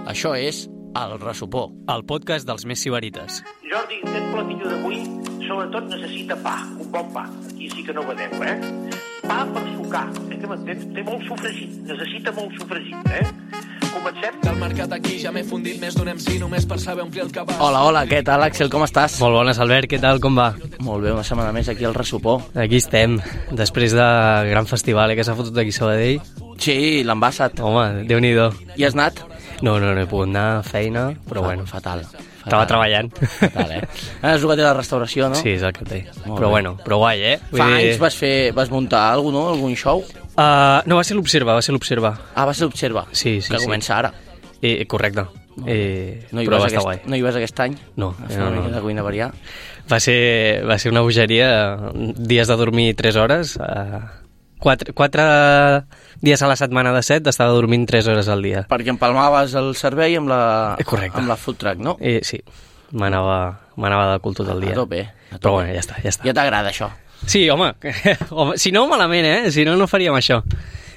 Això és El Ressupó, el podcast dels més sibarites. Jordi, aquest platillo d'avui sobretot necessita pa, un bon pa. Aquí sí que no ho vedeu, Pa per sucar, que m'entens? Té molt sofregit, necessita molt sofregit, Comencem? Del mercat aquí ja m'he fundit més d'un MC només per saber omplir el cabàs. Hola, què tal, Axel, com estàs? Molt bones, Albert, què tal, com va? Molt bé, una setmana més aquí al Ressupó. Aquí estem, després de gran festival que s'ha fotut aquí a Sabadell. Sí, l'ambassat. Home, Déu-n'hi-do. I has anat? No he pogut anar a feina, però bueno. Fatal. Estava treballant. Fatal, És el que té la restauració, no? Sí, és el que té. Molt Però bé. bueno, però guai, Fa anys vas muntar alguna cosa, no? Algun show? No, va ser l'Observa. Ah, va ser l'Observa. Sí. Que comença ara. Correcte. No hi però va vas estar guai. No hi vas aquest any? No. A fer una mica de cuina variar? Va ser una bogeria, dies de dormir 3 hores, 4 dies a la setmana de 7 estava dormint 3 hores al dia. Perquè empalmaves el servei amb la food truck, no? Sí, m'anava de cul tot el dia. A tope. Però bueno, ja està. Ja t'agrada això? Sí, home, si no malament, si no faríem això.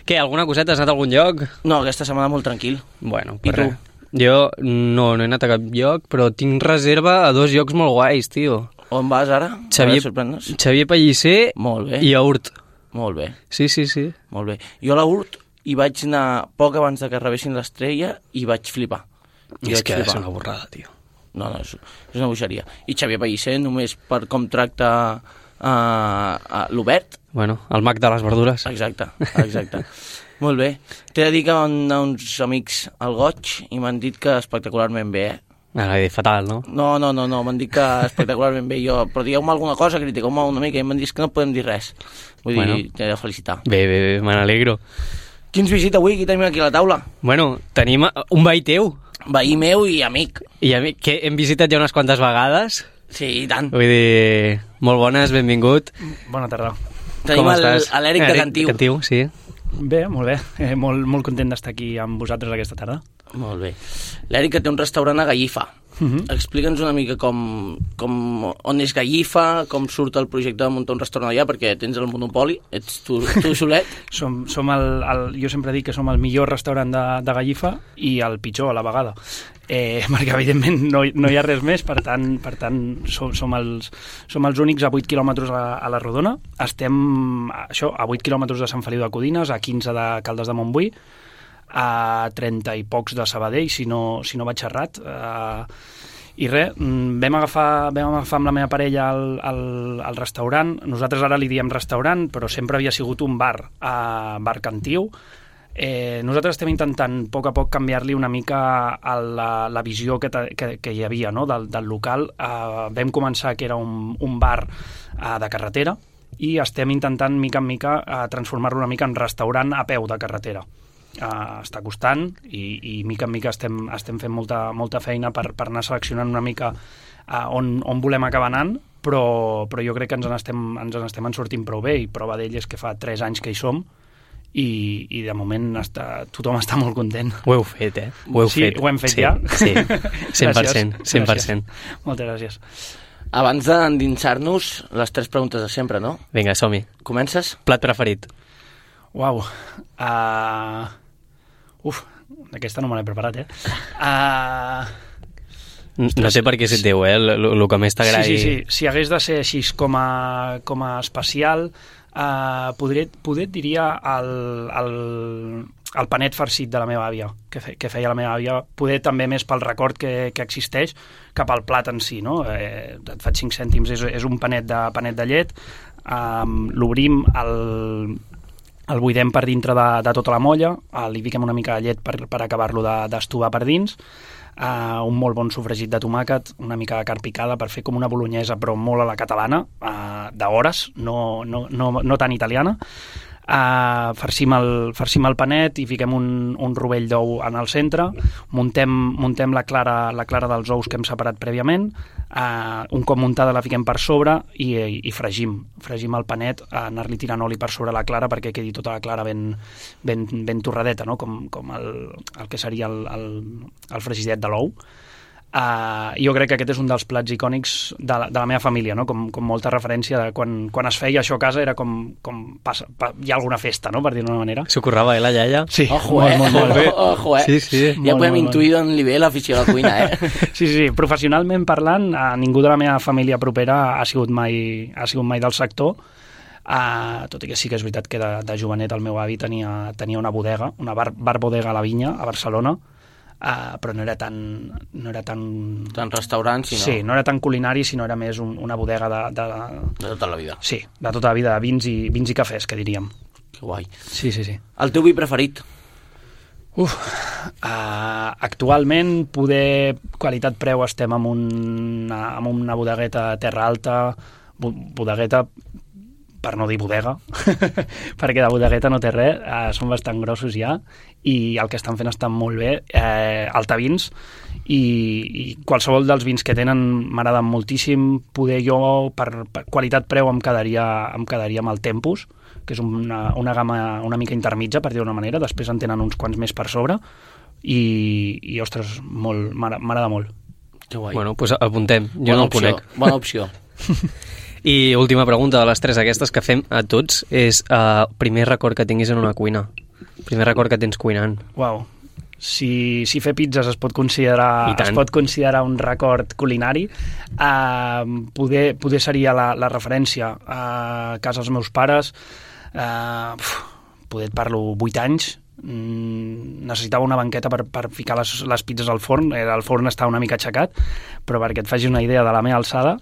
Què, alguna coseta? Has anat a algun lloc? No, aquesta setmana molt tranquil. Bueno, I tu? Jo no he anat a cap lloc, però tinc reserva a 2 llocs molt guais, tio. On vas ara? Xavier Pellicer molt bé. I a Urt. Molt bé. Sí. Molt bé. Jo a la Urt hi vaig anar poc abans de que rebessin l'estrella i vaig flipar. És que és una borrada, tio. No, és una bogeria. I Xavier Pellicer, només per com tracta l'Obert. Bueno, el mag de les verdures. Exacte. Molt bé. T'he de dir que van anar uns amics al Goig i m'han dit que espectacularment bé, Fatal, no? No, m'han dit que espectacularment bé. Però digueu-me alguna cosa, critiqueu-me una mica, i m'han dit que no podem dir res. Vull dir, t'he de felicitar. Bé, me n'alegro. Qui ens visita avui? Qui tenim aquí a la taula? Bueno, tenim un veí teu. Veí meu i amic. Que hem visitat ja unes quantes vegades. Sí, i tant. Vull dir, molt bones, benvingut. Bona tarda. Tenim l'Eric de Cantiu. Sí. Bé, molt bé. Molt content d'estar aquí amb vosaltres aquesta tarda. Molt bé. L'Eric, que té un restaurant a Gallifa. Explica'ns una mica on és Gallifa, com surt el projecte de muntar un restaurant allà, perquè tens el monopoli, ets tu solet. Jo sempre dic que som el millor restaurant de Gallifa i el pitjor a la vegada. Perquè evidentment no hi ha res més, per tant som els únics a 8 quilòmetres a la Rodona. Estem a 8 quilòmetres de Sant Feliu de Codines, a 15 de Caldes de Montbui, a 30 i pocs de Sabadell, si no vaig errat. I res, vam agafar amb la meva parella el restaurant. Nosaltres ara li diem restaurant, però sempre havia sigut un bar Cantiu. Nosaltres estem intentant a poc canviar-li una mica la visió que hi havia, no? del local. Vam començar que era un bar de carretera i estem intentant mica en mica transformar-lo una mica en restaurant a peu de carretera. Està costant i mica en mica estem fent molta feina per anar seleccionant una mica on volem acabar anant, però jo crec que ens n'estem sortint prou bé, i prova d'ell és que fa 3 anys que hi som i de moment tothom està molt content. Ho heu fet, Ho hem fet ja? Sí, 100%. Gràcies. Moltes gràcies. Abans d'endinsar-nos, les 3 preguntes de sempre, no? Vinga, som-hi. Comences? Plat preferit. Uau. Aquesta no me l'he preparat, No sé per què és teu, el que més t'agradi. Sí. Si hagués de ser així com a especial, poder et diria el panet farcit de la meva àvia, que feia la meva àvia, poder també més pel record que existeix cap al plat en si, no? Et faig 5 cèntims, és un panet de llet, l'obrim, el buidem per dintre de tota la molla, li fiquem una mica de llet per acabar-lo d'estovar per dins, un molt bon sofregit de tomàquet, una mica de carn picada per fer com una bolognesa, però molt a la catalana, d'hores, no tan italiana. Farcim el panet i fiquem un rovell d'ou en el centre, muntem la clara dels ous que hem separat prèviament, un cop muntada la fiquem per sobre i fregim el panet, anar-li tirant oli per sobre la clara perquè quedi tota la clara ben torradeta, no? com el que seria el fregidet de l'ou. Jo crec que aquest és un dels plats icònics de la meva família, no? Com molta referència de quan es feia això a casa era com hi ha alguna festa, no? Per dir-ho d'una manera. S'ho currava, la iaia? Sí, Ojo, molt bé. Ojo, Sí. Ja podem intuir d'on li ve l'afició a la cuina, Sí, professionalment parlant, ningú de la meva família propera ha sigut mai del sector, tot i que sí que és veritat que de jovenet el meu avi tenia una bodega, una bar bodega a la Vinya, a Barcelona, però no era tan Tan restaurant, sinó... Sí, no era tan culinari, sinó era més una bodega de tota la vida. Sí, de tota la vida, de vins i cafès, que diríem. Que guai. Sí. El teu vi preferit? Actualment, qualitat-preu, estem amb una bodegueta Terra Alta, bodegueta, per no dir bodega, perquè de bodegueta no té res, són bastant grossos ja, i el que estan fent està molt bé, Altavins, i qualsevol dels vins que tenen m'agraden moltíssim. Poder jo, per qualitat-preu, em quedaria amb el Tempus, que és una gamma una mica intermitja, per dir d'una manera, després en tenen uns quants més per sobre, i ostres, m'agrada molt. Que guai. Bueno, doncs apuntem, jo no el conec. Bona opció. I última pregunta de les tres aquestes que fem a tots és primer record que tinguis en una cuina. Primer record que tens cuinant. Uau. Si fer pizzas es pot considerar un record culinari, poder seria la referència a casa dels meus pares. Poder et parlo 8 anys, necessitava una banqueta per ficar les pizzas al forn. El forn està una mica aixecat, però perquè et facis una idea de la meva alçada,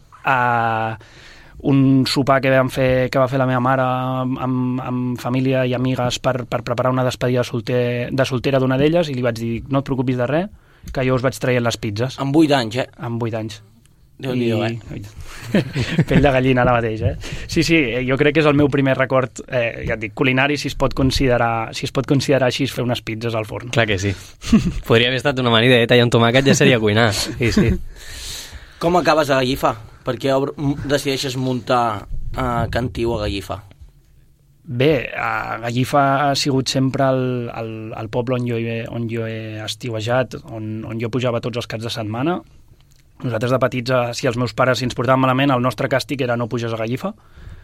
un sopar que va fer la meva mare amb família i amigues per preparar una despedida de soltera d'una d'elles, i li vaig dir, no et preocupis de res, que jo us vaig traient les pizzas. Amb 8 anys, Amb 8 anys. Déu-n'hi-do, Pell de gallina ara mateix, Sí, jo crec que és el meu primer record, ja et dic, culinari, si es pot considerar així, fer unes pizzas al forn. Clar que sí. Podria haver estat una amanida i un tomàquet ja seria cuinar. Sí. Com acabes a Gallifa? Per què decideixes muntar Cantiu a Gallifa? Bé, Gallifa ha sigut sempre el poble on jo he estiuejat, on jo pujava tots els caps de setmana. Nosaltres de petits, si els meus pares ens portaven malament, el nostre càstig era no puges a Gallifa.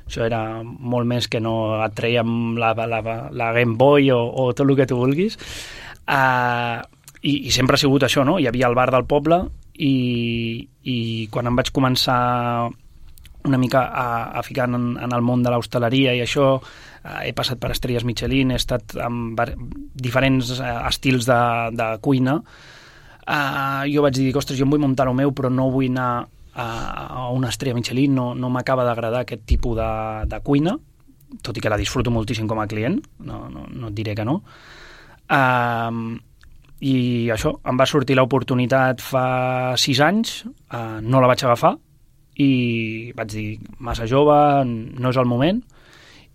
Això era molt més que no et traiem la Game Boy o tot el que tu vulguis. I sempre ha sigut això, no? Hi havia el bar del poble, i quan em vaig començar una mica a ficar en el món de l'hostaleria i això, he passat per estrelles Michelin, he estat amb diferents estils de cuina. Jo vaig dir, ostres, jo em vull muntar el meu, però no vull anar a una estrella Michelin, no m'acaba d'agradar aquest tipus de cuina, tot i que la disfruto moltíssim com a client, no et diré que no. I això, em va sortir l'oportunitat fa 6 anys, no la vaig agafar, i vaig dir, massa jove, no és el moment,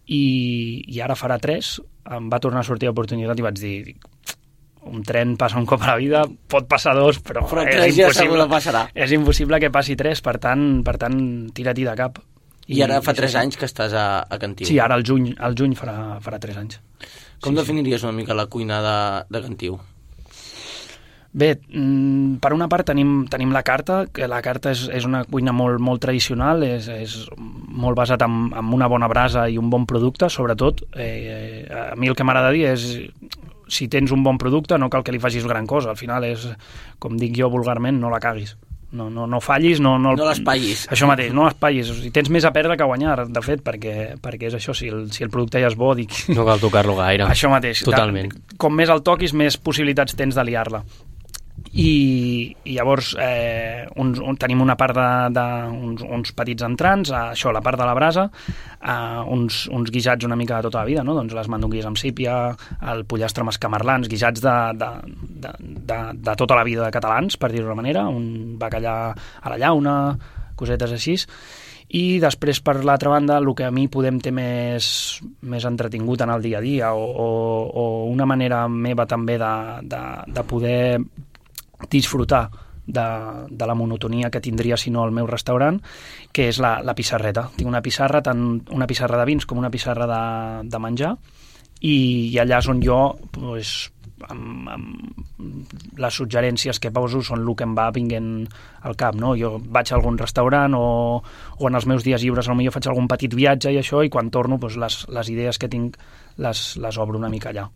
i ara farà 3, em va tornar a sortir l'oportunitat i vaig dir, un tren passa un cop a la vida, pot passar 2, però és impossible, és impossible que passi 3, per tant tira-t'hi de cap. I ara fa 3 anys que estàs a Cantiu. Sí, ara al juny farà 3 anys. Com definiries una mica la cuina de Cantiu? Bé, per una part tenim la carta, que la carta és una cuina molt tradicional, és molt basat en una bona brasa i un bon producte, sobretot. A mi el que m'agrada dir és, si tens un bon producte no cal que li facis gran cosa, al final és, com dic jo vulgarment, no la caguis. No fallis, no l'espatllis. Això mateix, no l'espatllis. O sigui, tens més a perdre que a guanyar, de fet, perquè és això, si el producte ja és bo, dic... No cal tocar-lo gaire. Això mateix. Totalment. Com més el toquis, més possibilitats tens de liar-la. I llavors tenim una part uns petits entrants, això, la part de la brasa, uns guisats una mica de tota la vida, no? Doncs les mandonguilles amb sípia, el pollastre amb escamarlans, guisats de tota la vida de catalans, per dir-ho d'una manera, un bacallà a la llauna, cosetes així. I després, per l'altra banda, el que a mi podem ter més entretingut en el dia a dia, o una manera meva també de poder disfrutar de la monotonia que tindria si no al meu restaurant, que és la pissarreta. Tinc una pissarra, tant una pissarra de vins com una pissarra de menjar, i allà és on jo les suggerències que poso són el que em va vinguent al cap, no? Jo vaig a algun restaurant o en els meus dies lliures potser faig algun petit viatge i això, i quan torno les idees que tinc les obro una mica allà.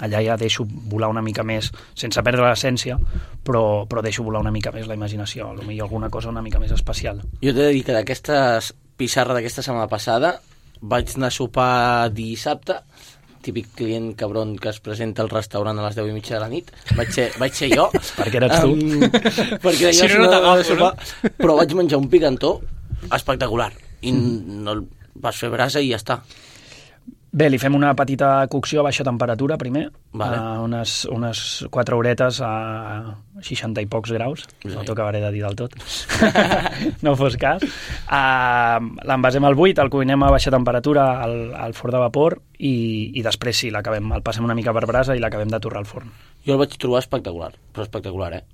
Allà ja deixo volar una mica més, sense perdre l'essència, però deixo volar una mica més la imaginació, potser alguna cosa una mica més especial. Jo t'he de dir que d'aquesta pissarra d'aquesta setmana passada vaig anar a sopar dissabte, típic client cabron que es presenta al restaurant a les 10:30 de la nit. Vaig ser jo. Perquè eres tu. Perquè si no t'agafo, no? Però vaig menjar un picantó espectacular. I no vas fer brasa i ja està. Bé, li fem una petita cocció a baixa temperatura primer, vale. unes 4 horetes a 60 i pocs graus, no t'ho acabaré de dir del tot, no fos cas. L'envasem al buit, el cuinem a baixa temperatura al forn de vapor i després sí, el passem una mica per brasa i l'acabem de torrar al forn. Jo el vaig trobar espectacular, però espectacular,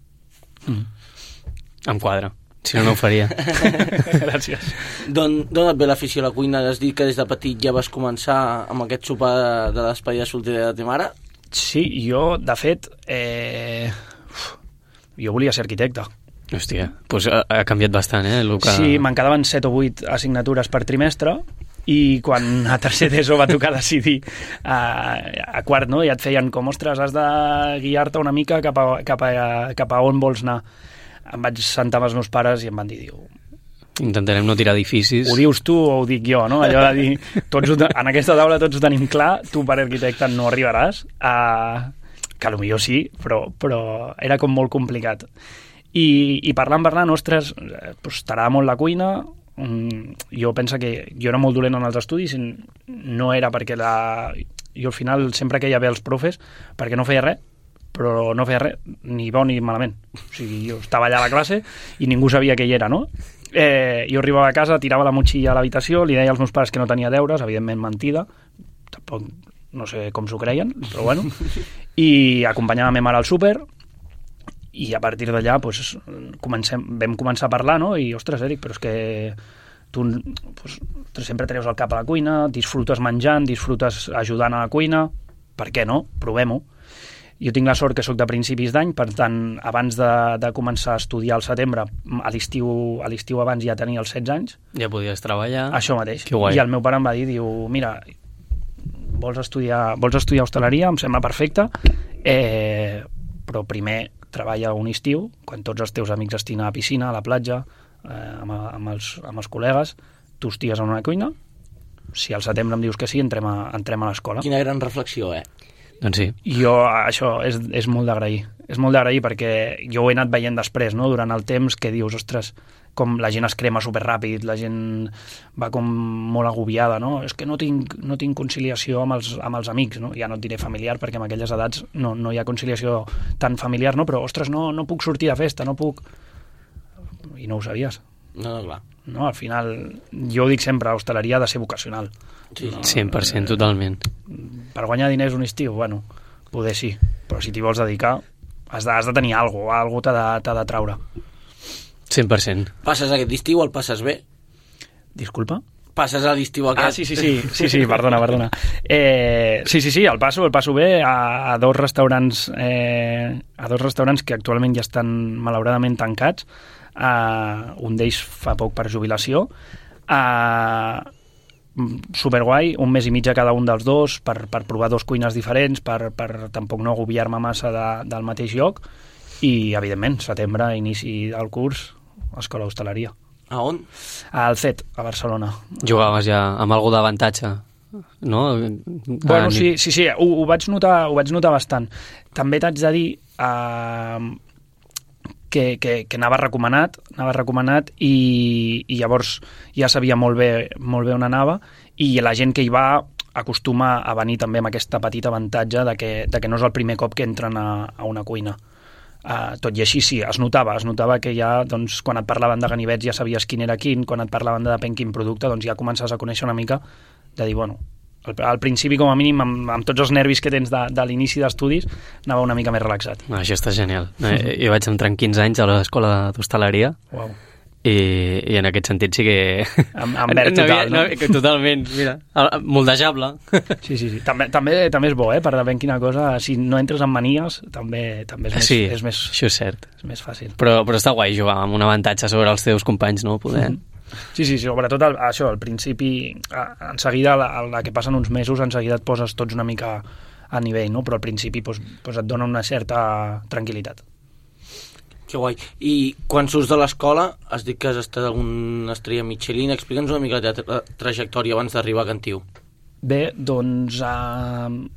Em quadra. Si no, no ho faria. Gràcies. D'on et ve l'afició a la cuina? Has dit que des de petit ja vas començar amb aquest sopar de despedida soltera de ta mare? Sí, jo, de fet, jo volia ser arquitecte. Hòstia, doncs ha canviat bastant, Luca? Sí, me'n quedaven 7 o 8 assignatures per trimestre i quan a tercer d'ESO va tocar decidir a quart, no? Ja et feien com, ostres, has de guiar-te una mica cap a on vols anar. Em vaig sentar amb els meus pares i em van dir, intentarem no tirar edificis. Ho dius tu o ho dic jo, no? Allò de dir, en aquesta taula tots ho tenim clar, tu per arquitecte no arribaràs, que potser sí, però era com molt complicat. I parlant, ostres, t'agrada molt la cuina. Jo penso que jo era molt dolent en els estudis, no era perquè jo al final sempre queia bé els profes perquè no feia res, però no feia res, ni bo ni malament. O sigui, jo estava allà a la classe i ningú sabia que hi era, no? Jo arribava a casa, tirava la motxilla a l'habitació, li deia als meus pares que no tenia deures, evidentment mentida, tampoc no sé com s'ho creien, però bueno, i acompanyava la meva mare al súper, i a partir d'allà vam començar a parlar, no? I, ostres, Eric, però és que tu sempre treus el cap a la cuina, disfrutes menjant, disfrutes ajudant a la cuina, per què no? Provem-ho. Jo tinc la sort que sóc de principis d'any, per tant, abans de començar a estudiar al setembre, a l'estiu abans ja tenia els 16 anys. Ja podies treballar. Això mateix. I el meu pare em va dir, mira, vols estudiar hostaleria? Em sembla perfecte, però primer treballa un estiu, quan tots els teus amics estiguin a la piscina, a la platja, amb els col·legues, tu estigues en una cuina. Si al setembre em dius que sí, entrem a l'escola. Quina gran reflexió, Doncs sí. Jo, això és molt d'agrair. És molt d'agrair perquè jo ho he anat veient després, no? Durant el temps, que dius, ostres, com la gent es crema superràpid, la gent va com molt agobiada, no? És que no tinc conciliació amb els amics, no? Ja no et diré familiar, perquè en aquelles edats no hi ha conciliació tan familiar, no? Però, ostres, no puc sortir de festa, no puc... I no ho sabies. No, clar. No, al final, jo ho dic sempre, l'hostaleria ha de ser vocacional. Sí. 100%, totalment. Per guanyar diners un estiu, bueno, poder sí, però si t'hi vols dedicar has de tenir alguna cosa, t'ha de traure. 100%. Passes aquest estiu o el passes bé? Disculpa? Passes a l'estiu aquest? Sí, perdona. Sí, el passo bé a dos restaurants que actualment ja estan malauradament tancats. Un d'ells fa poc per jubilació, superguai, un mes i mig a cada un dels dos per provar dos cuines diferents, per tampoc no agobiar-me massa del mateix lloc, i evidentment setembre, inici del curs, escola d'hostaleria. A on? Al CET, a Barcelona. Jugaves ja amb algú d'avantatge, no? Bueno, sí, ho vaig notar bastant. També t'haig de dir que anava recomanat i llavors ja sabia molt bé on anava, i la gent que hi va acostuma a venir també amb aquest petit avantatge de que no és el primer cop que entren a una cuina. Tot i així sí, es notava que ja, doncs, quan et parlaven de ganivets ja sabies quin era quin, quan et parlaven de depèn quin producte, doncs ja comences a conèixer una mica, de dir, bueno, al principi com a mínim amb tots els nervis que tens de l'inici d'estudis anava una mica més relaxat. Això està genial. Jo vaig entrar amb 15 anys a l'escola d'hostaleria. Uau. i en aquest sentit sí que... En verd total, no? Totalment, mira, moldejable. Sí. També és bo, per veure quina cosa, si no entres en manies, també és més... Això és cert. És més fàcil. Però està guai jugar amb un avantatge sobre els teus companys, no? Poder... Sí, sobretot això, al principi, en seguida, la que passen uns mesos, en seguida et poses tots una mica a nivell, no? Però al principi et dona una certa tranquil·litat. Que guai. I quan surts de l'escola, has dit que has estat alguna estrella Michelin. Explica'ns una mica la teva trajectòria abans d'arribar a Cantiu. Bé, doncs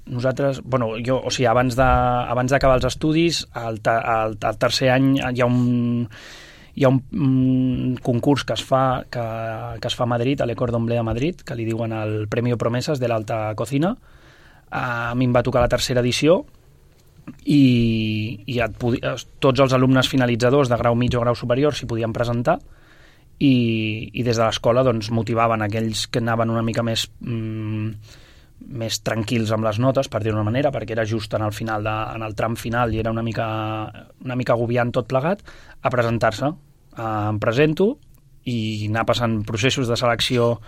nosaltres... abans d'acabar els estudis, al tercer any hi ha un concurs que es fa a Madrid, a l'École d'Emblée de Madrid, que li diuen el Premio Promesas de l'Alta Cocina. A mi em va tocar la tercera edició, i tots els alumnes finalitzadors de grau mig o grau superior s'hi podien presentar, i des de l'escola doncs, motivaven aquells que anaven una mica més tranquils amb les notes, per dir-ho d'una manera, perquè era just en el tram final i era una mica agobiant tot plegat, a presentar-se. Em presento i anar passant processos de selecció.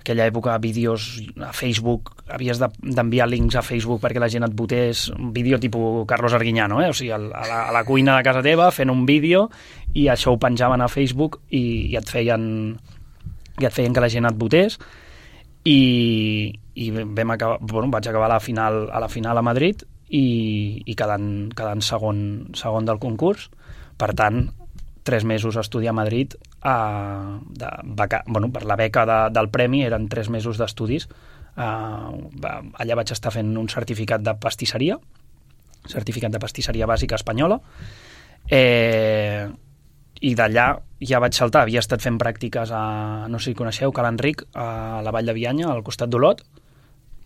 Aquella època, vídeos a Facebook, havies d'enviar links a Facebook perquè la gent et votés, un vídeo tipus Carlos Arguiñano, o sigui, a la cuina de casa teva fent un vídeo, i això ho penjaven a Facebook i et feien que la gent et votés, i vaig acabar a la final a Madrid i quedant segon del concurs. Per tant, 3 mesos a estudiar a Madrid, per la beca del premi eren 3 mesos d'estudis. Allà vaig estar fent un certificat de pastisseria bàsica espanyola, i d'allà ja vaig saltar. Havia estat fent pràctiques no sé si coneixeu, Ca l'Enric, a la Vall de Bianya, al costat d'Olot.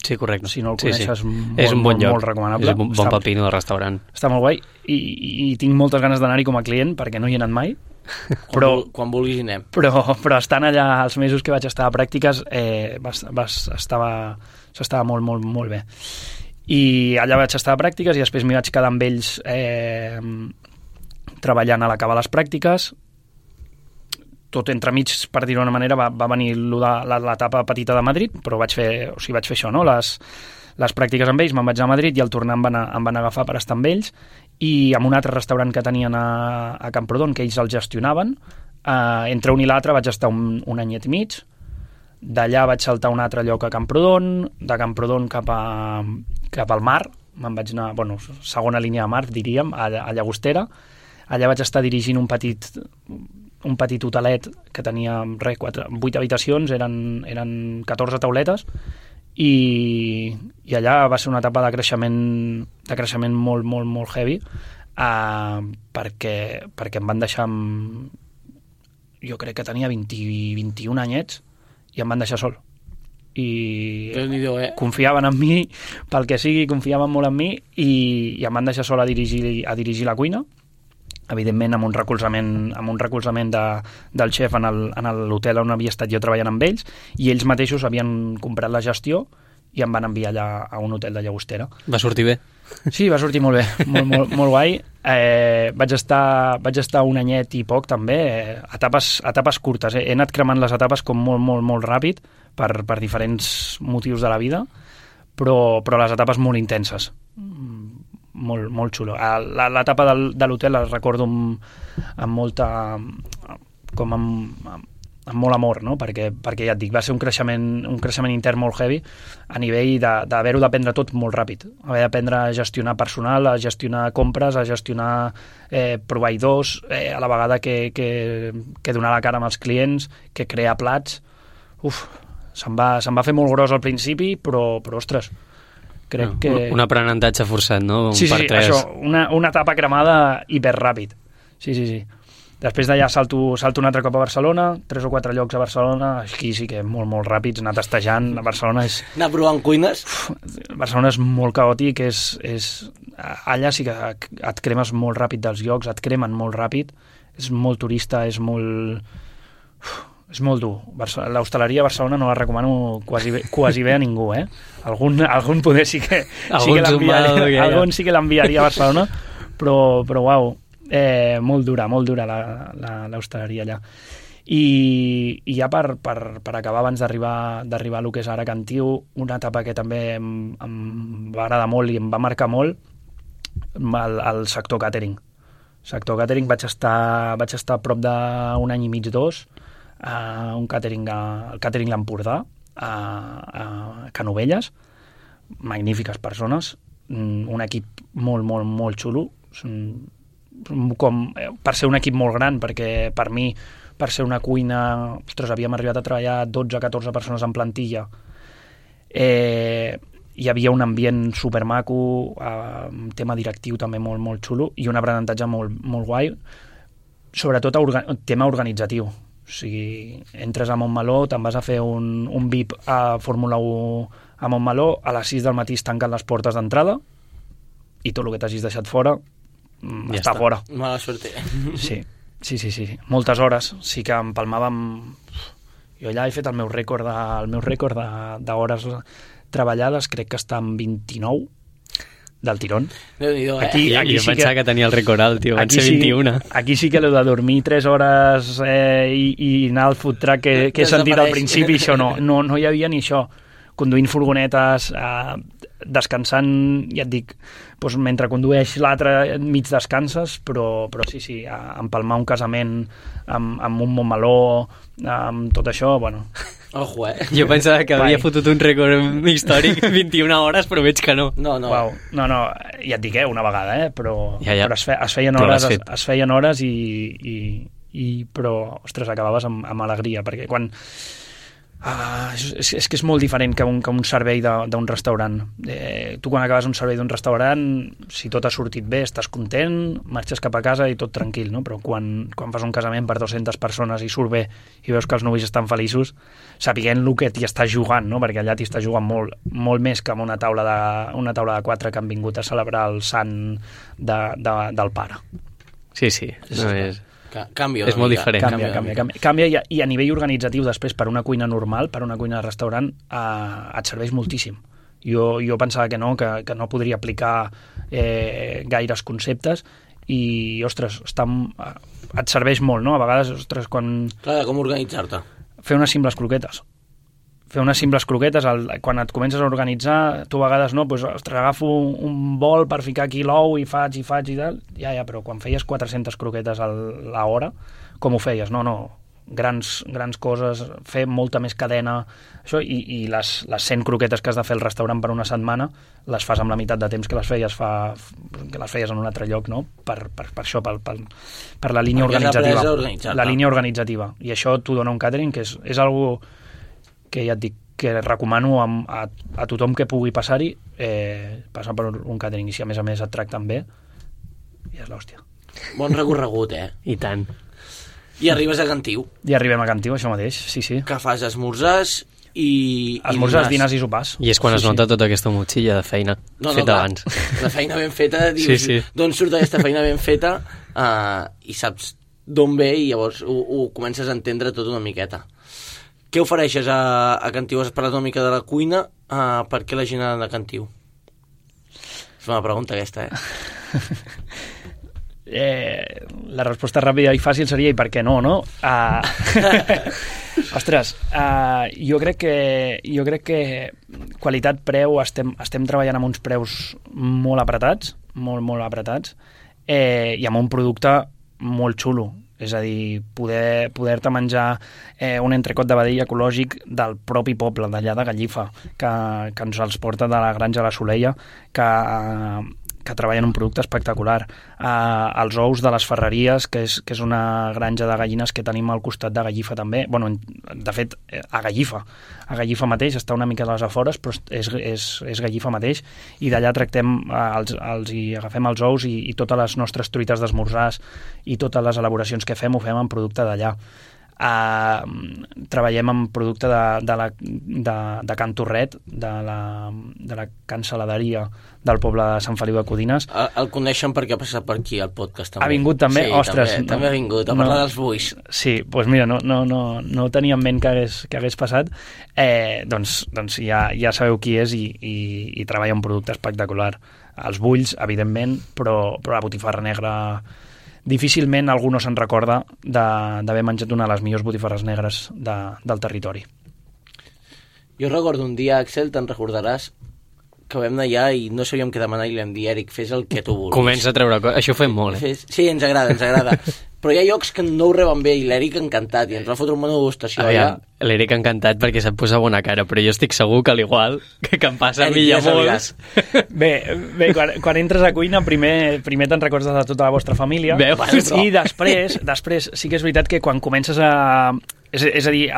Sí, correcte. Si no el coneixes, és un bon lloc, molt recomanable. És un bon pepino del restaurant. Està molt guai, i tinc moltes ganes d'anar-hi com a client, perquè no hi he anat mai. Quan vulguis hi anem. Però estant allà els mesos que vaig estar a pràctiques, s'estava molt, molt, molt bé. I allà vaig estar a pràctiques i després m'hi vaig quedar amb ells treballant a l'acabar les pràctiques. Tot entremig, per dir-ho d'una manera, va venir l'etapa petita de Madrid, però vaig fer això, no? Les pràctiques amb ells, me'n vaig anar a Madrid i al tornar em van agafar per estar amb ells, i amb un altre restaurant que tenien a Camprodon, que ells el gestionaven. Entre un i l'altre vaig estar un anyet i mig. D'allà vaig saltar a un altre lloc a Camprodon, de Camprodon cap al mar, me'n vaig anar, segona línia de mar, diríem, a Llagostera. Allà vaig estar dirigint un petit hotelet que tenia 8 habitacions, eren 14 tauletes, i allà va ser una etapa de creixement molt, molt, molt heavy, perquè em van deixar jo crec que tenia 21 anyets, i em van deixar sol. I confiaven en mi, pel que sigui, confiaven molt en mi, i em van deixar sol a dirigir la cuina, evidentment amb un recolzament del xef en l'hotel on havia estat jo treballant amb ells, i ells mateixos havien comprat la gestió i em van enviar allà a un hotel de Llagostera. Va sortir bé? Sí, va sortir molt bé, molt, molt guai. Vaig estar un anyet i poc també, etapes curtes. He anat cremant les etapes com molt, molt, molt ràpid per diferents motius de la vida, però les etapes molt intenses. Molt, molt xulo. L'etapa de l'hotel la recordo amb molta... com amb molt amor, no? Perquè ja et dic, va ser un creixement intern molt heavy, a nivell d'haver-ho d'aprendre tot molt ràpid. Haver d'aprendre a gestionar personal, a gestionar compres, a gestionar proveïdors, a la vegada que donar la cara amb els clients, que crear plats. Se'm va fer molt gros al principi, però ostres, crec que... Un aprenentatge forçat, no? Sí, això, una etapa cremada hiperràpid. Sí. Després d'allà salto un altre cop a Barcelona, 3 o 4 llocs a Barcelona, aquí sí que molt, molt ràpids, anar tastejant. A Barcelona és... Anar provant cuines? Barcelona és molt caòtic, allà sí que et cremes molt ràpid dels llocs, et cremen molt ràpid, és molt turista, és molt dur. L'hostaleria a Barcelona no la recomano quasi bé a ningú, eh? Algun poder sí que l'enviaria a Barcelona, però uau, molt dura l'hostaleria allà. I ja per acabar, abans d'arribar a lo que és ara Cantiu, una etapa que també em va agradar molt i em va marcar molt, el sector catering. Sector catering vaig estar a prop d'un any i mig, 2, el catering l'Empordà, a Canovelles, magnífiques persones, un equip molt, molt, molt xulo, per ser un equip molt gran, perquè per mi, per ser una cuina, ostres, havíem arribat a treballar 12-14 persones en plantilla. Hi havia un ambient supermaco, un tema directiu també molt, molt xulo i un aprenentatge molt, molt guai, sobretot tema organitzatiu. O sigui, entres a Montmeló, te'n vas a fer un VIP a Fórmula 1 a Montmeló, a les 6 del matí es tanquen les portes d'entrada i tot el que t'hagis deixat fora ja està fora. Mala suerte. Sí. Moltes hores. Sí que empalmàvem... Jo allà he fet el meu rècord d'hores treballades, crec que està en 29 del tirón. Déu-n'hi-do, Aquí jo sí pensava que tenia el rècord alt, tio, van ser 21. Aquí sí que l'he de dormir 3 hores i anar al food truck que he sentit al principi, això no hi havia ni això. Conduint furgonetes, descansant, ja et dic, doncs mentre condueix l'altre mig descanses, però sí, empalmar un casament amb un Montmeló, amb tot això, bueno... Ojo, Jo pensava que havia fotut un rècord històric 21 hores, però veig que no. No. Uau. No, ja et dic, una vegada, però es feien hores però, ostres, acabaves amb alegria, perquè quan... és que és molt diferent que un servei d'un restaurant. Tu quan acabes un servei d'un restaurant, si tot ha sortit bé, estàs content, marxes cap a casa i tot tranquil, no? Però quan fas un casament per 200 persones i surt bé i veus que els novis estan feliços, sapiguent el que t'hi estàs jugant, no? Perquè allà t'hi estàs jugant molt més que amb una taula de 4 que han vingut a celebrar el sant del pare. Sí, no és... Canvia. És molt diferent. Canvia i a nivell organitzatiu després per una cuina normal, per una cuina de restaurant, et serveix moltíssim. Jo pensava que no podria aplicar gaires conceptes i, ostres, et serveix molt, no? A vegades, ostres, quan... Clar, com organitzar-te. Fer unes simples croquetes. Quan et comences a organitzar, tu a vegades no, doncs, ostres, agafo un bol per ficar aquí l'ou i faig i tal, ja, però quan feies 400 croquetes a l'hora, com ho feies? No, grans coses, fer molta més cadena, això, i les 100 croquetes que has de fer al restaurant per una setmana, les fas amb la meitat de temps que les feies en un altre lloc, no? Per això, per la línia organitzativa. La línia organitzativa. I això t'ho dona un catering, que és algo que ja et dic, que recomano a tothom que pugui passar-hi, passar per un catering, i si a més et tracten bé, ja és l'hòstia. Bon recorregut, I tant. I arribes a Cantiu. I arribem a Cantiu, això mateix, sí. Que fas esmorzars i esmorzars, dinars i sopars. I és quan es nota tota aquesta motxilla de feina feta abans. La feina ben feta, dius, d'on surt aquesta feina ben feta, i saps d'on ve, i llavors ho comences a entendre tot una miqueta. Què ofereixes a Cantiu? Has parlat una mica de la cuina, per què la gent ha d'anar a Cantiu? És una pregunta aquesta, La resposta ràpida i fàcil seria i per què no? Ostres, jo crec que qualitat-preu estem treballant amb uns preus molt apretats, molt apretats, i amb un producte molt xulo. És a dir, poder-te menjar un entrecot de vedell ecològic del propi poble, d'allà de Gallifa, que ens els porta de la granja La Soleia, que treballen un producte espectacular. Els ous de les Ferreries, que és una granja de gallines que tenim al costat de Gallifa també. Bueno, de fet, a Gallifa mateix, està una mica a les afores, però és Gallifa mateix, i d'allà tractem, hi agafem els ous i totes les nostres truites d'esmorzars i totes les elaboracions que fem ho fem en producte d'allà. Treballem amb producte de Can Torret, de la cancel·laderia del poble de Sant Feliu de Codines. El coneixen perquè ha passat per aquí al podcast també. Ha vingut també? Sí, ostres, també ha vingut a parlar dels buis. Sí, doncs mira, no tenia en ment que hagués passat. Doncs ja sabeu qui és i treballa un producte espectacular. Els bulls, evidentment, però la botifarra negra difícilment algú no se'n recorda d'haver menjat una de les millors botifarres negres del territori. Jo recordo un dia, Axel, te'n recordaràs, que vam anar allà i no sabíem què demanar i li vam dir, Eric, fes el que tu vulguis. Comença a treure coses. Això ho fem molt, Sí, ens agrada. Però hi ha llocs que no ho reben bé i l'Eric encantat i ens va fotre un menú degustació allà. L'Eric encantat perquè se't posa bona cara, però jo estic segur que a l'igual que em passa a mi i a molts. Bé, quan entres a cuina primer te'n recordes de tota la vostra família. I després sí que és veritat que quan comences a... És a dir,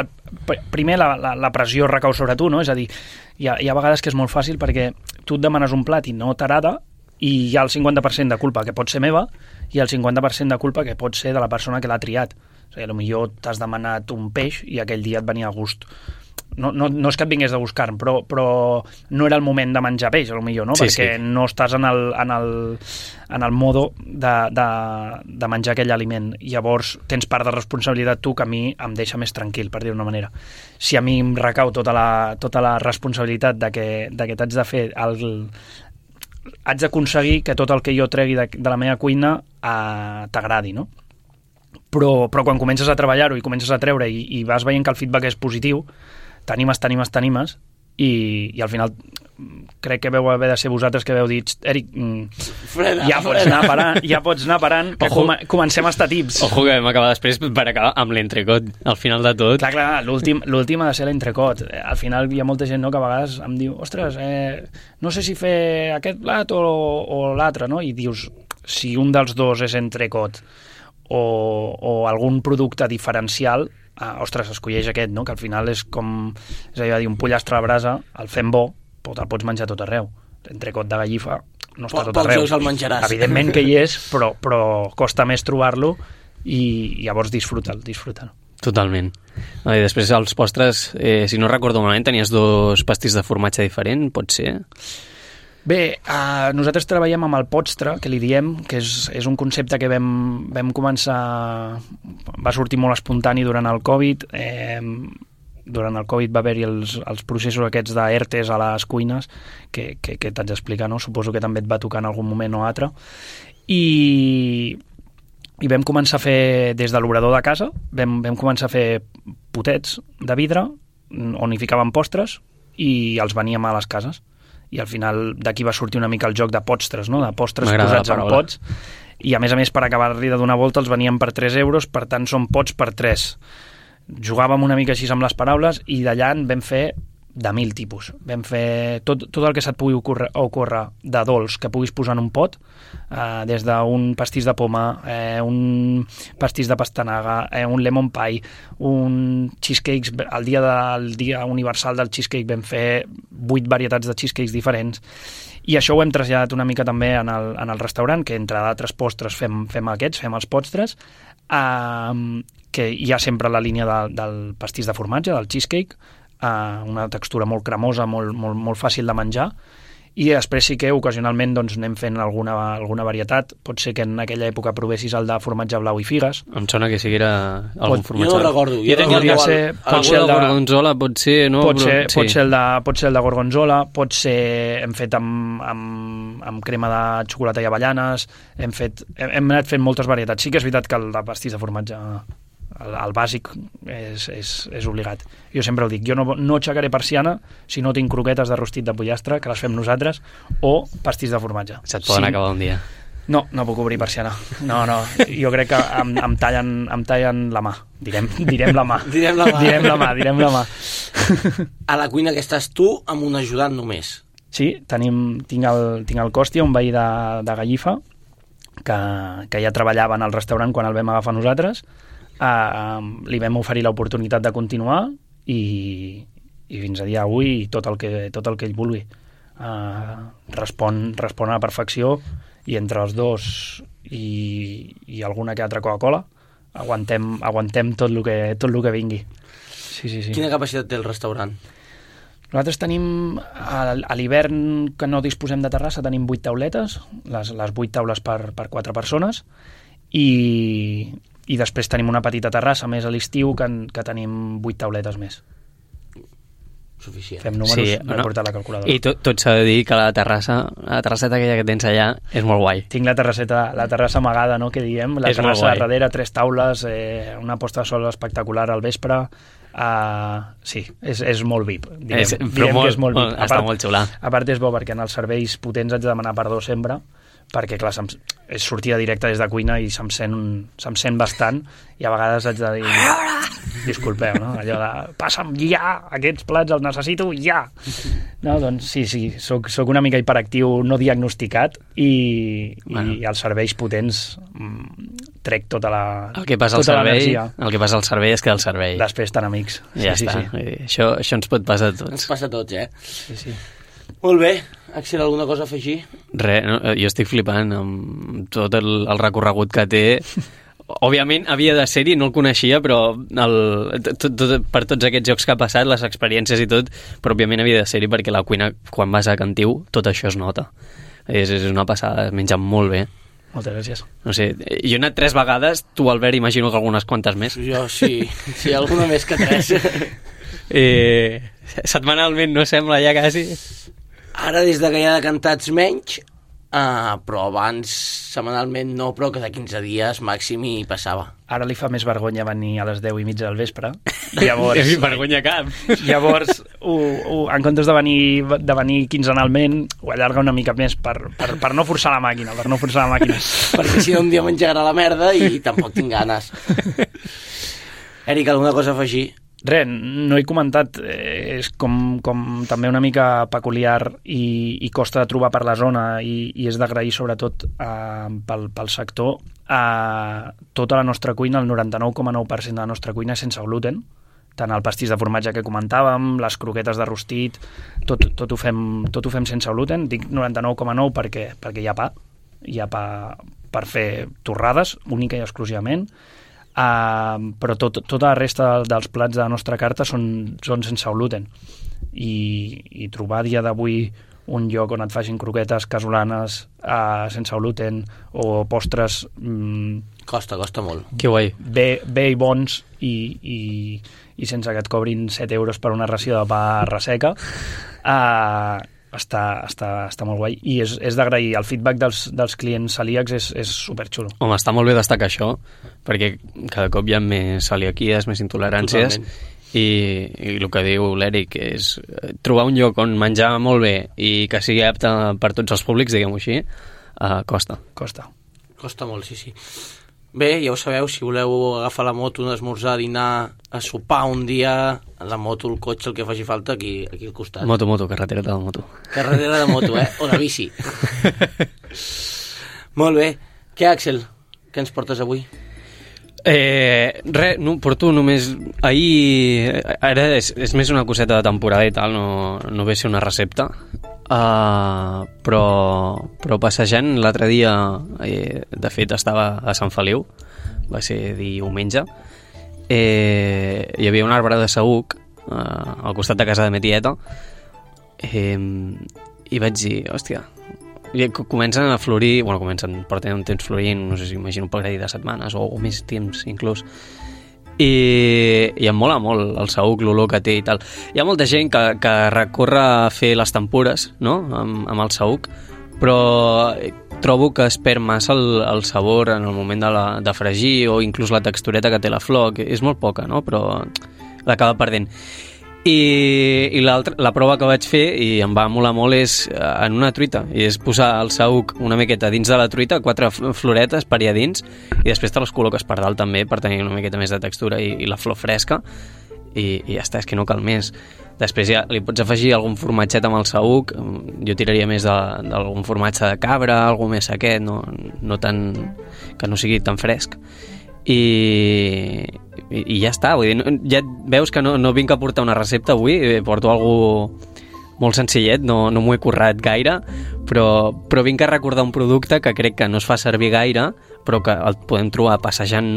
primer la pressió recau sobre tu, no? És a dir, hi ha vegades que és molt fàcil perquè tu et demanes un plat i no t'agrada i hi ha el 50% de culpa que pot ser meva i el 50% de culpa que pot ser de la persona que l'ha triat. O sigui, potser t'has demanat un peix i aquell dia et venia a gust. No és que et vingués de buscar, però no era el moment de menjar peix, potser, no? Perquè no estàs en el modo de menjar aquell aliment. Llavors tens part de responsabilitat tu que a mi em deixa més tranquil, per dir-ho d'una manera. Si a mi em recau tota la responsabilitat de que t'haig de fer haig d'aconseguir que tot el que jo tregui de la meva cuina t'agradi, no? Però quan comences a treballar-ho i comences a treure i vas veient que el feedback és positiu, t'animes i al final crec que veu haver de ser vosaltres que veu dit, Eric, ja pots anar parant que comencem a estar tips. Ojo que vam acabar després per acabar amb l'entrecot al final de tot. Clar, l'últim ha de ser l'entrecot. Al final hi ha molta gent, no, que a vegades em diu, ostres, no sé si fer aquest plat o l'altre, no? I dius, si un dels dos és entrecot o algun producte diferencial, ostres, escolleix aquest, no? Que al final és com, és a dir, un pollastre a la brasa, el fem bo, però te'l pots menjar tot arreu. L'entrecot de gallifa no està tot arreu. El menjaràs. Evidentment que hi és, però costa més trobar-lo i llavors disfruta'l. Totalment. I després els postres, si no recordo malament, tenies 2 pastís de formatge diferent, pot ser? Bé, nosaltres treballem amb el postre, que li diem, que és un concepte que vam començar... Va sortir molt espontani durant el Covid. Durant el Covid va haver-hi els processos aquests d'ERTEs a les cuines, que t'haig d'explicar, no? Suposo que també et va tocar en algun moment o altre. I vam començar a fer, des de l'obrador de casa, vam començar a fer potets de vidre, on hi ficàvem postres, i els veníem a les cases. I al final d'aquí va sortir una mica el joc de postres, no? De postres posats en pots, i a més per acabar-li de donar volta els veníem per 3 euros, per tant són pots per 3. Jugàvem una mica així amb les paraules i d'allà en vam fer de 1000 tipus. Vam fer tot el que se't pugui ocórrer de dolç que puguis posar en un pot, des d'un pastís de poma, un pastís de pastanaga, un lemon pie, un cheesecakes. El dia universal del cheesecake vam fer 8 varietats de cheesecakes diferents, i això ho hem traslladat una mica també en el restaurant, que entre d'altres postres fem els postres, que hi ha sempre la línia del pastís de formatge, del cheesecake, una textura molt cremosa, molt fàcil de menjar, i després sí que ocasionalment doncs, anem fent alguna varietat. Pot ser que en aquella època provessis el de formatge blau i figues. Em sona que sigui algun formatge. Jo no recordo. Pot ser el de gorgonzola, pot ser... No? Pot ser el de gorgonzola, pot ser... Hem fet amb crema de xocolata i avellanes, hem anat fent moltes varietats. Sí que és veritat que el de pastís de formatge... El bàsic és obligat. Jo sempre ho dic, jo no aixecaré persiana si no tinc croquetes de rostit de pollastre, que les fem nosaltres, o pastís de formatge. Se't poden acabar un dia. No puc obrir persiana. No, jo crec que em tallen la mà. Direm la mà. Direm la mà. A la cuina que estàs tu amb un ajudant només. Sí, tinc el Costi, un veí de Gallifa, que ja treballava en el restaurant quan el vam agafar nosaltres. Li vam oferir l'oportunitat de continuar i fins a dia d'avui tot el que ell vulgui. Respon a la perfecció, i entre els dos i alguna que altra Coca-Cola aguantem tot el que vingui. Sí. Quina capacitat té el restaurant? Nosaltres tenim, a l'hivern, que no disposem de terrassa, tenim 8 tauletes, les 8 taules per 4 persones, i després tenim una petita terrassa més a l'estiu que tenim 8 tauletes més. suficient. Fem números, no he portat la calculadora. I tot s'ha de dir que la terrasseta aquella que tens allà és molt guai. Tinc la terrassa amagada, no?, que diem, la terrassa de darrere, 3 taules, una posta de sol espectacular al vespre. Sí, és molt VIP. Diguem que és molt VIP. Està molt xula. A part és bo perquè en els serveis potents haig de demanar perdó sempre, perquè clar, és sortida directa des de cuina i se'm sent bastant, i a vegades haig de dir disculpeu, no? Allò de passa'm ja, aquests plats els necessito ja. No, doncs sí, soc una mica hiperactiu no diagnosticat i als serveis potents trec tota la el que passa al servei és que al servei després estan amics. Ja està. Això ens pot passar a tots. Ens passa a tots, Sí. Molt bé. Axel, alguna cosa a afegir? Res, no? Jo estic flipant amb tot el recorregut que té. Òbviament havia de ser-hi, no el coneixia, però per tots aquests jocs que ha passat, les experiències i tot, però òbviament havia de ser-hi perquè la cuina, quan vas a Cantiu, tot això es nota. És una passada, es menja molt bé. Moltes gràcies. No sé, jo he anat 3 vegades, tu, Albert, imagino que algunes quantes més. Jo sí, alguna més que 3. Setmanalment no sembla ja quasi. Ara des de que hi ha decantats menys, però abans setmanalment no, però cada 15 dies màxim hi passava. Ara li fa més vergonya venir a les 10:30 del vespre. Llavors, vergonya cap. Llavors, en comptes de venir quinzenalment, ho allarga una mica més per no forçar la màquina, Perquè si no un dia menjarà la merda i tampoc tinc ganes. Eric, alguna cosa a afegir? Res, no he comentat, és com també una mica peculiar i costa de trobar per la zona i és d'agrair sobretot pel sector. Tota la nostra cuina, el 99,9% de la nostra cuina és sense gluten, tant el pastís de formatge que comentàvem, les croquetes de rostit, tot ho fem sense gluten. Dic 99,9 perquè hi ha pa per fer torrades, única i exclusivament. Però tota la resta dels plats de la nostra carta són sense gluten i trobar a dia d'avui un lloc on et facin croquetes casolanes sense gluten o postres costa molt. Que guai. Bé i bons i sense que et cobrin 7 euros per una ració de pa resseca, està molt guai i és d'agrair. El feedback dels clients celíacs és superxulo. Home, està molt bé destacar això, perquè cada cop hi ha més celiaquies, més intoleràncies. Totalment. I el que diu l'Eric és trobar un lloc on menjar molt bé i que sigui apte per tots els públics, diguem-ho així, costa molt, sí. Bé, ja ho sabeu, si voleu agafar la moto, esmorzar, dinar, a sopar un dia, la moto, el cotxe, el que faci falta, aquí al costat. Moto, carretera de moto. Carretera de moto, o de bici. Molt bé. Què, Axel? Què ens portes avui? Res, no, porto només... Ahir... Ara és més una coseta de temporada i tal, no ve a ser una recepta. Però passejant l'altre dia, de fet estava a Sant Feliu, va ser diumenge, hi havia un arbre de saüc al costat de casa de ma tieta, i vaig dir, hòstia, comencen a florir, porten un temps florint, no sé si imagino un parell de setmanes o més temps inclús, i em mola molt el saüc, l'olor que té i tal. Hi ha molta gent que recorre a fer les tempures, no?, amb el saüc, però trobo que es perd massa el sabor en el moment de fregir, o inclús la textureta que té la flor, que és molt poca, no?, però l'acaba perdent. I la prova que vaig fer, i em va molar molt, és en una truita, i és posar el saüc una miqueta dins de la truita, 4 floretes per allà dins, i després te les col·loques per dalt també, per tenir una miqueta més de textura i la flor fresca, i ja està, és que no cal més. Després ja li pots afegir algun formatget amb el saüc, jo tiraria més d'algun formatge de cabra, algú més sequet, no tan, que no sigui tan fresc. I ja està, vull dir, ja veus que no vinc a portar una recepta avui, porto algo molt senzillet, no m'ho he currat gaire, però vinc a recordar un producte que crec que no es fa servir gaire, però que el podem trobar passejant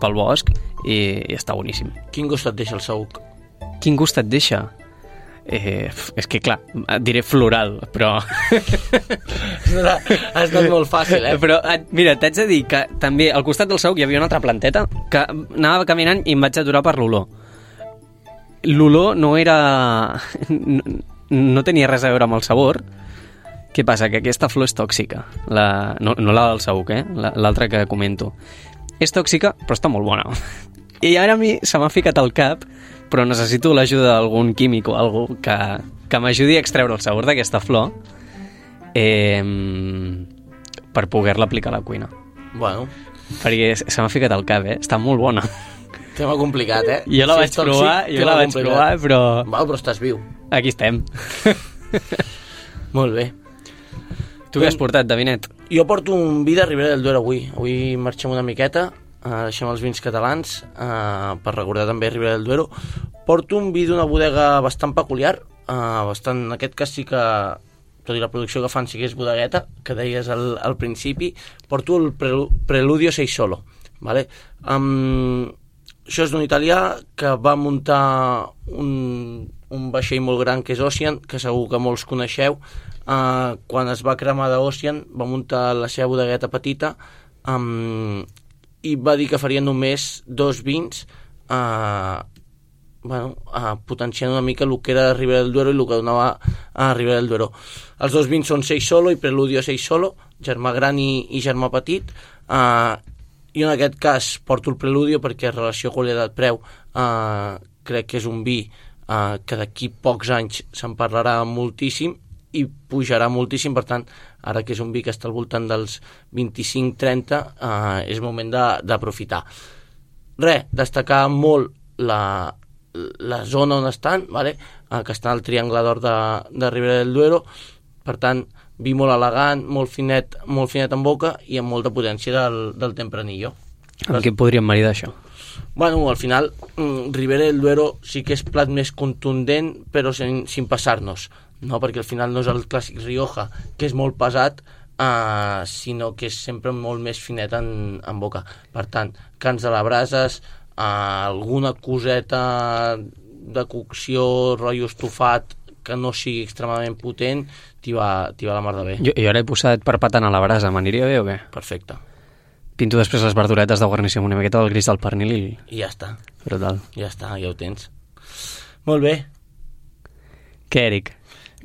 pel bosc i està boníssim. Quin gust et deixa el saüc? Quin gust et deixa? És que clar, diré floral, però ha estat molt fàcil, però mira, t'haig de dir que també al costat del saüc hi havia una altra planteta que anava caminant i em vaig aturar per l'olor. l'olor no era... no tenia res a veure amb el sabor. Què passa? Que aquesta flor és tòxica. No la del saüc, l'altra que comento. És tòxica, però està molt bona. I ara a mi se m'ha ficat al cap, però necessito l'ajuda d'algun químic o algú que m'ajudi a extreure el sabor d'aquesta flor per poder-la aplicar a la cuina. Bueno. Perquè se m'ha ficat al cap, Està molt bona. Tema complicat, Jo la vaig provar, però... Val, però estàs viu. Aquí estem. Molt bé. Tu què has portat, Davinet? Jo porto un vi de Ribera del Duero avui. Avui marxem una miqueta, deixem els vins catalans, per recordar també Ribera del Duero. Porto un vi d'una bodega bastant peculiar, en aquest cas sí que, tot i la producció que fan sí que és bodegueta, que deies al principi. Porto el Preludio Sei Solo, vale? Això és d'un italià que va muntar un vaixell molt gran que és Ocean, que segur que molts coneixeu. Quan es va cremar d'Ocean va muntar la seva bodegueta petita i va dir que faria només 2 vins potenciant una mica el que era Ribera del Duero i el que donava a Ribera del Duero. Els 2 vins són Sei Solo i Preludio Sei Solo, germà gran i germà petit. I en aquest cas porto el Preludio perquè en relació qualitat-preu crec que és un vi que d'aquí pocs anys se'n parlarà moltíssim i pujarà moltíssim, per tant, ara que és un vi que està al voltant dels 25-30, és moment d'aprofitar. Destacar molt la zona on estan, vale? Que està al Triangle d'Or de Ribera del Duero, per tant, vi molt elegant, molt finet en boca i amb molta potència del Tempranillo. Amb què podríem maridar això? Bueno, al final, Ribera del Duero sí que és plat més contundent, però sin passar-nos, no? Perquè al final no és el clàssic Rioja, que és molt pesat, sinó que és sempre molt més finet en boca. Per tant, cans de la brases, alguna coseta de cocció, rotllo estofat, que no sigui extremadament potent, t'hi va la mar de bé. Jo ara he posat perpatant a la brasa, m'aniria bé o què? Perfecte. Pinto després les verduretes de guarnició amb una miqueta del gris del pernil i ja està. Brutal. Ja està, ja ho tens. Molt bé. Què, Eric?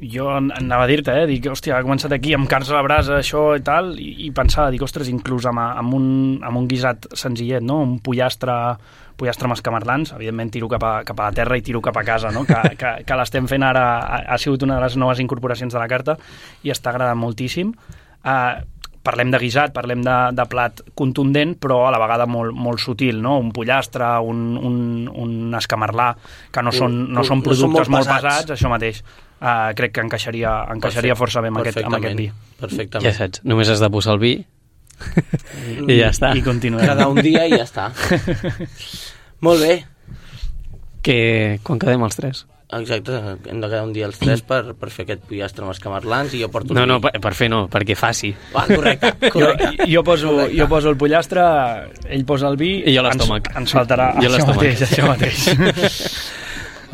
Jo anava a dir-te, dic, hòstia, ha començat aquí amb carns a la brasa, això i tal, i pensava, dic, ostres, inclús amb un guisat senzillet, no? Un pollastre amb escamarlans, evidentment tiro cap a la terra i tiro cap a casa, no? Que l'estem fent ara, ha sigut una de les noves incorporacions de la carta i està agradant moltíssim. Parlem de guisat, parlem de plat contundent, però a la vegada molt sutil, no? Un pollastre, un escamarlà, que no són productes molt pesats, això mateix. Crec que encaixaria força bé amb aquest vi. Perfectament. Ja saps, només has de posar el vi i ja està. I continuem. Cada un dia i ja està. Molt bé. Quan quedem els 3? Exacte, hem de quedar un dia els 3 per fer aquest pollastre amb escamarlans i jo porto No, per fer no, perquè faci. Correcte. Jo poso el pollastre, ell posa el vi i jo l'estómac. Ens faltarà això mateix.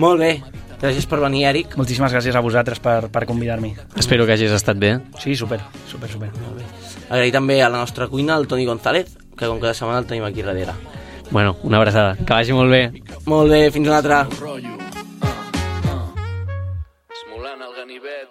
Molt bé, gràcies per venir, Eric. Moltíssimes gràcies a vosaltres per convidar-m'hi. Espero que hagis estat bé. Sí, super. Molt bé. Agrair també a la nostra cuina, el Toni González, que com cada setmana el tenim aquí darrere. Bueno, una abraçada. Que vagi molt bé. Molt bé, fins una altra. Esmolant el ganivet